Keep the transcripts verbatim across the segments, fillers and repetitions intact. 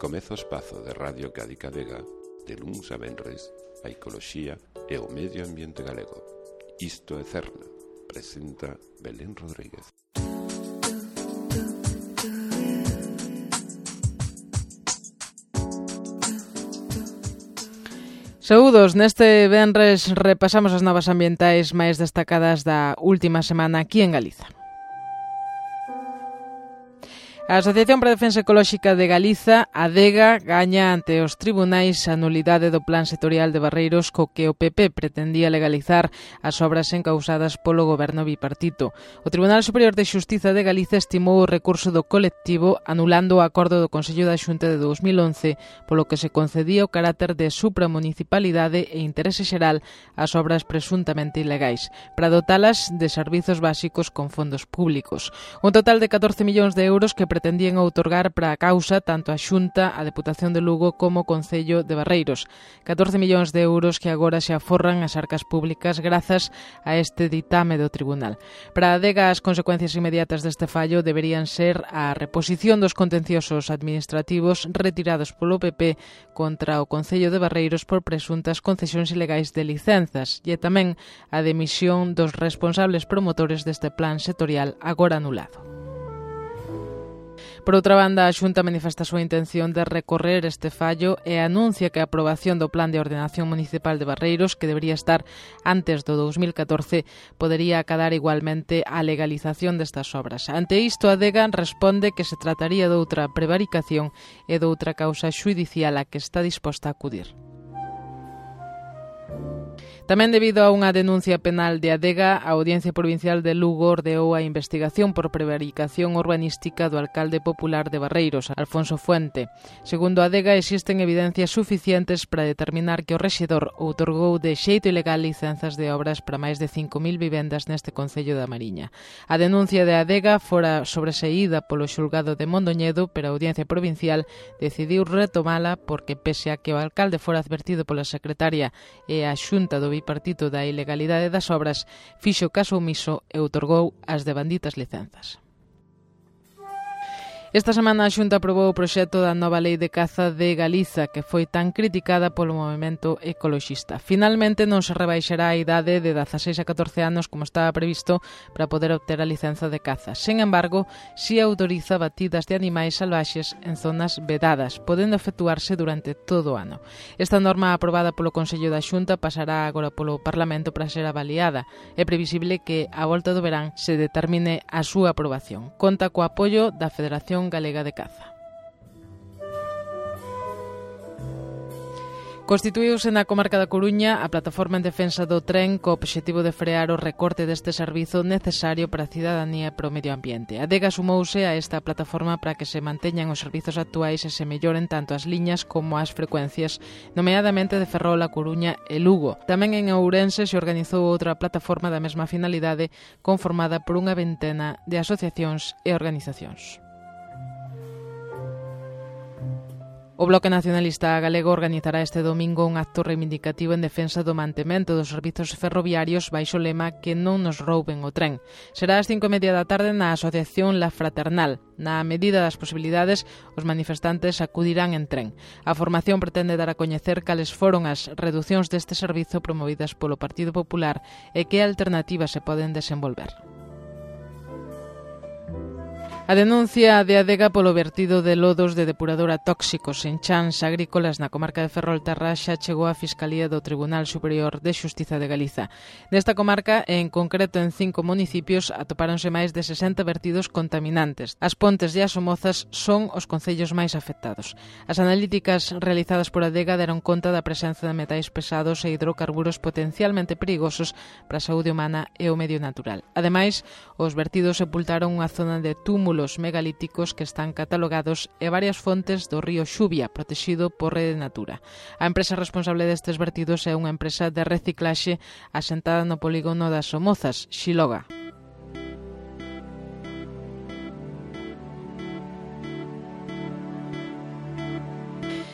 Comeza o espazo de Radio Cádiz Vega de luns a venres a ecoloxía e o medio ambiente galego. Isto é Cerna, presenta Belén Rodríguez. Saúdos, neste venres repasamos as novas ambientais máis destacadas da última semana aquí en Galiza. A Asociación para a Defensa Ecolóxica de Galiza, ADEGA, gaña ante os tribunais a nulidade do Plan Sectorial de Barreiros co que o P P pretendía legalizar as obras encausadas polo goberno bipartito. O Tribunal Superior de Xustiza de Galiza estimou o recurso do colectivo anulando o acordo do Consello da Xunta de dous mil once polo que se concedía o carácter de supramunicipalidade e interese xeral ás obras presuntamente ilegais, para dotalas de servizos básicos con fondos públicos. Un total de catorce millóns de euros que pretendían outorgar para a causa tanto a Xunta, a Deputación de Lugo como o Concello de Barreiros. catorce millóns de euros que agora se aforran as arcas públicas grazas a este ditame do tribunal. Para a ADEGA, as consecuencias inmediatas deste fallo deberían ser a reposición dos contenciosos administrativos retirados polo P P contra o Concello de Barreiros por presuntas concesións ilegais de licenzas e tamén a demisión dos responsables promotores deste plan sectorial agora anulado. Por outra banda, a Xunta manifesta a súa intención de recorrer este fallo e anuncia que a aprobación do Plan de Ordenación Municipal de Barreiros, que debería estar antes do dous mil catorce, podería acadar igualmente a legalización destas obras. Ante isto, a ADEGA responde que se trataría de outra prevaricación e de outra causa xudicial a que está disposta a acudir. Tamén debido a unha denuncia penal de ADEGA, a Audiencia Provincial de Lugo ordeou a investigación por prevaricación urbanística do alcalde popular de Barreiros, Alfonso Fuente. Segundo a ADEGA, existen evidencias suficientes para determinar que o rexedor outorgou de xeito ilegal licenzas de obras para máis de cinco mil vivendas neste concello da Mariña. A denuncia de ADEGA fora sobreseída polo xulgado de Mondoñedo, pero a Audiencia Provincial decidiu retomala porque, pese a que o alcalde fora advertido pola secretaria e a Xunta do bipartito da ilegalidade das obras, fixo caso omiso e outorgou as devanditas licenzas. Esta semana a Xunta aprobou o proxecto da nova lei de caza de Galiza, que foi tan criticada polo movemento ecoloxista. Finalmente non se rebaixará a idade de dezaseis a catorce anos como estaba previsto para poder obter a licenza de caza. Sen embargo, si autoriza batidas de animais salvaxes en zonas vedadas, podendo efectuarse durante todo o ano. Esta norma aprobada polo Consello da Xunta pasará agora polo Parlamento para ser avaliada. É previsible que a volta do verán se determine a súa aprobación. Conta co apoio da Federación Galega de Caza. Constituíuse na comarca da Coruña a plataforma en defensa do tren co obxectivo de frear o recorte deste servizo necesario para a cidadanía e para o medio ambiente. A ADEGA sumouse a esta plataforma para que se manteñan os servizos actuais e se melloren tanto as liñas como as frecuencias, nomeadamente de Ferrol, A Coruña e Lugo. Tamén en Ourense se organizou outra plataforma da mesma finalidade conformada por unha vintena de asociacións e organizacións. O Bloque Nacionalista Galego organizará este domingo un acto reivindicativo en defensa do mantemento dos servizos ferroviarios baixo o lema que non nos rouben o tren. Será ás cinco e media da tarde na Asociación La Fraternal. Na medida das posibilidades, os manifestantes acudirán en tren. A formación pretende dar a coñecer cales foron as reducións deste servizo promovidas polo Partido Popular e que alternativas se poden desenvolver. A denuncia de ADEGA polo vertido de lodos de depuradora tóxicos en chans agrícolas na comarca de Ferrolterra xa chegou á Fiscalía do Tribunal Superior de Xustiza de Galiza. Nesta comarca, en concreto en cinco municipios, atopáronse máis de sesenta vertidos contaminantes. As Pontes e as Somozas son os concellos máis afectados. As analíticas realizadas por ADEGA deron conta da presenza de metais pesados e hidrocarburos potencialmente perigosos para a saúde humana e o medio natural. Ademais, os vertidos sepultaron unha zona de túmulo megalíticos que están catalogados e varias fontes do río Xubia, protegido por Rede Natura. A empresa responsable destes vertidos é unha empresa de reciclaxe asentada no polígono das Somozas, Xiloga.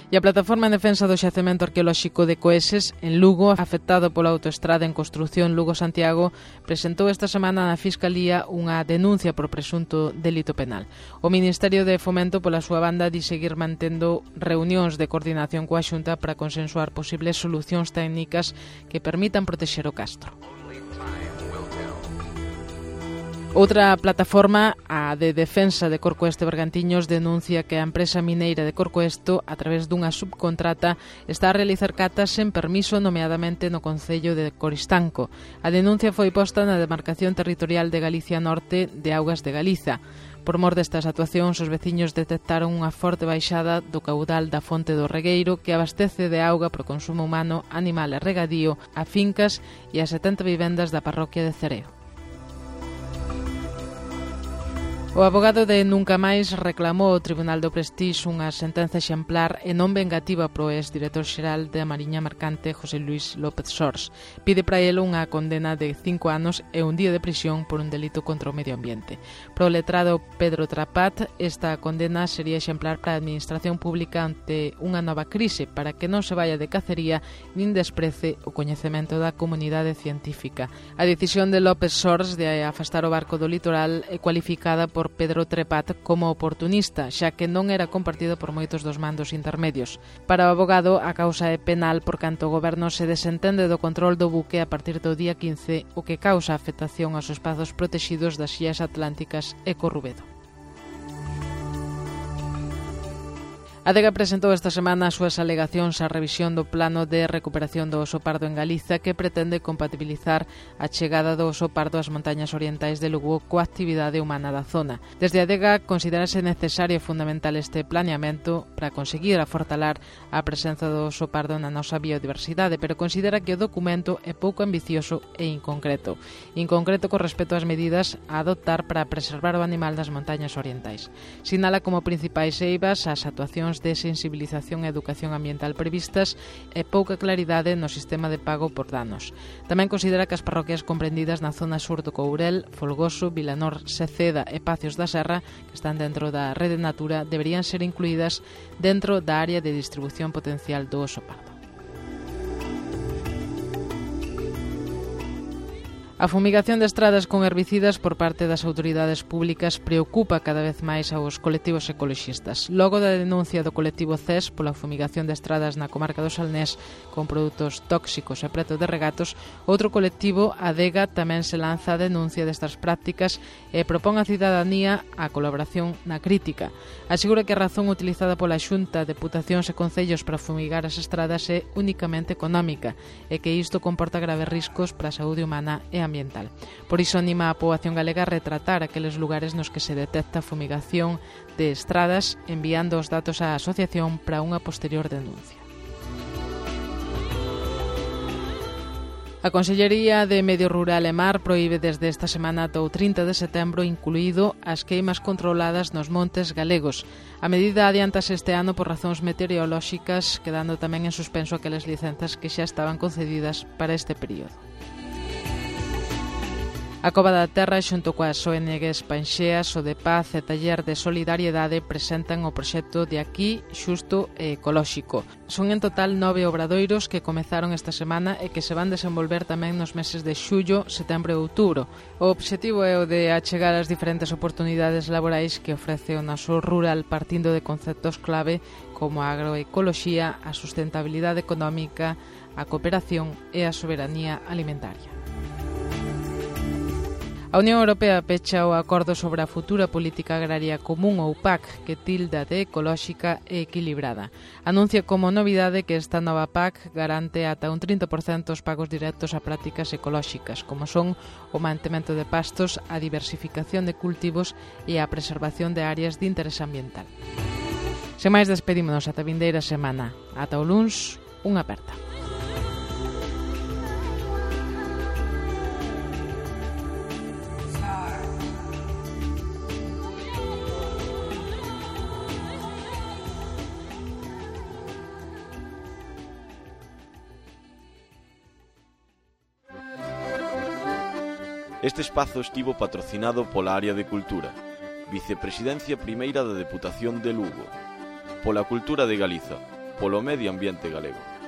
E a Plataforma en Defensa do Xacemento Arqueolóxico de Coeses, en Lugo, afectado pola autoestrada en construción Lugo-Santiago, presentou esta semana na Fiscalía unha denuncia por presunto delito penal. O Ministerio de Fomento, pola súa banda, di seguir mantendo reunións de coordinación coa Xunta para consensuar posibles solucións técnicas que permitan protexer o castro. Outra plataforma, a de Defensa de Corcoesto e Bergantiños, denuncia que a empresa mineira de Corcoesto, a través dunha subcontrata, está a realizar catas sen permiso, nomeadamente no concello de Coristanco. A denuncia foi posta na demarcación territorial de Galicia Norte de Augas de Galiza. Por mor destas actuacións, os veciños detectaron unha forte baixada do caudal da fonte do Regueiro, que abastece de auga para o consumo humano, animal e regadío a fincas e a setenta vivendas da parroquia de Cereo. O avogado de Nunca Máis reclamou ao Tribunal do Prestix unha sentenza exemplar e non vengativa pro ex-director xeral da Mariña Mercante, José Luis López Sors. Pide para ele unha condena de cinco anos e un día de prisión por un delito contra o medio ambiente. Pro letrado Pedro Trapat, esta condena sería exemplar para a administración pública ante unha nova crise, para que non se vaya de cacería nin desprece o coñecemento da comunidade científica. A decisión de López Sors de afastar o barco do litoral é cualificada por por Pedro Trepat como oportunista, xa que non era compartido por moitos dos mandos intermedios. Para o avogado, a causa é penal por canto o goberno se desentende do control do buque a partir do día quince, o que causa afectación aos espazos protexidos das illas atlánticas e Corrubedo. A Adega presentou esta semana as súas alegacións á revisión do plano de recuperación do oso pardo en Galiza, que pretende compatibilizar a chegada do oso pardo ás montañas orientais de Lugo coa actividade humana da zona. Desde a Adega considerase necesario e fundamental este planeamento para conseguir afortalar a presenza do oso pardo na nosa biodiversidade, pero considera que o documento é pouco ambicioso e inconcreto. Inconcreto con respecto ás medidas a adoptar para preservar o animal das montañas orientais. Sinala como principais eivas as actuacións de sensibilización e educación ambiental previstas e pouca claridade no sistema de pago por danos. Tamén considera que as parroquias comprendidas na zona sur do Courel, Folgoso, Vilanor, Seceda e Pacios da Serra, que están dentro da Rede Natura, deberían ser incluídas dentro da área de distribución potencial do oso pardo. A fumigación de estradas con herbicidas por parte das autoridades públicas preocupa cada vez máis aos colectivos ecoloxistas. Logo da denuncia do colectivo C E S pola fumigación de estradas na comarca do Salnés con produtos tóxicos e preto de regatos, outro colectivo, Adega, tamén se lanza a denuncia destas prácticas e propón á cidadanía a colaboración na crítica. Asegura que a razón utilizada pola Xunta, Deputacións e Concellos para fumigar as estradas é únicamente económica e que isto comporta graves riscos para a saúde humana e a ambiental. Por iso anima a poboación galega a retratar aqueles lugares nos que se detecta fumigación de estradas, enviando os datos á asociación para unha posterior denuncia. A Consellería de Medio Rural e Mar proíbe desde esta semana ata o trinta de setembro incluído as queimas controladas nos montes galegos. A medida adiantase este ano por razóns meteorolóxicas, quedando tamén en suspenso aquelas licenzas que xa estaban concedidas para este período. A Cova da Terra, xunto coas O N Gs Panxeas, O de Paz e Taller de Solidariedade, presentan o proxecto de Aquí, Xusto e Ecolóxico. Son en total nove obradoiros que comezaron esta semana e que se van desenvolver tamén nos meses de xullo, setembro e outubro. O obxectivo é o de achegar as diferentes oportunidades laborais que ofrece o noso rural, partindo de conceptos clave como a agroecoloxía, a sustentabilidade económica, a cooperación e a soberanía alimentaria. A Unión Europea pecha o acordo sobre a futura política agraria común ou P A C, que tilda de ecolóxica e equilibrada. Anuncia como novidade que esta nova P A C garante ata un trinta por cento os pagos directos a prácticas ecolóxicas, como son o mantemento de pastos, a diversificación de cultivos e a preservación de áreas de interés ambiental. Sen máis, despedímonos ata a vindeira semana. Ata o luns, unha aperta. Este espazo estivo patrocinado pola Área de Cultura, Vicepresidencia Primeira da Deputación de Lugo, pola Cultura de Galiza, polo medio ambiente galego.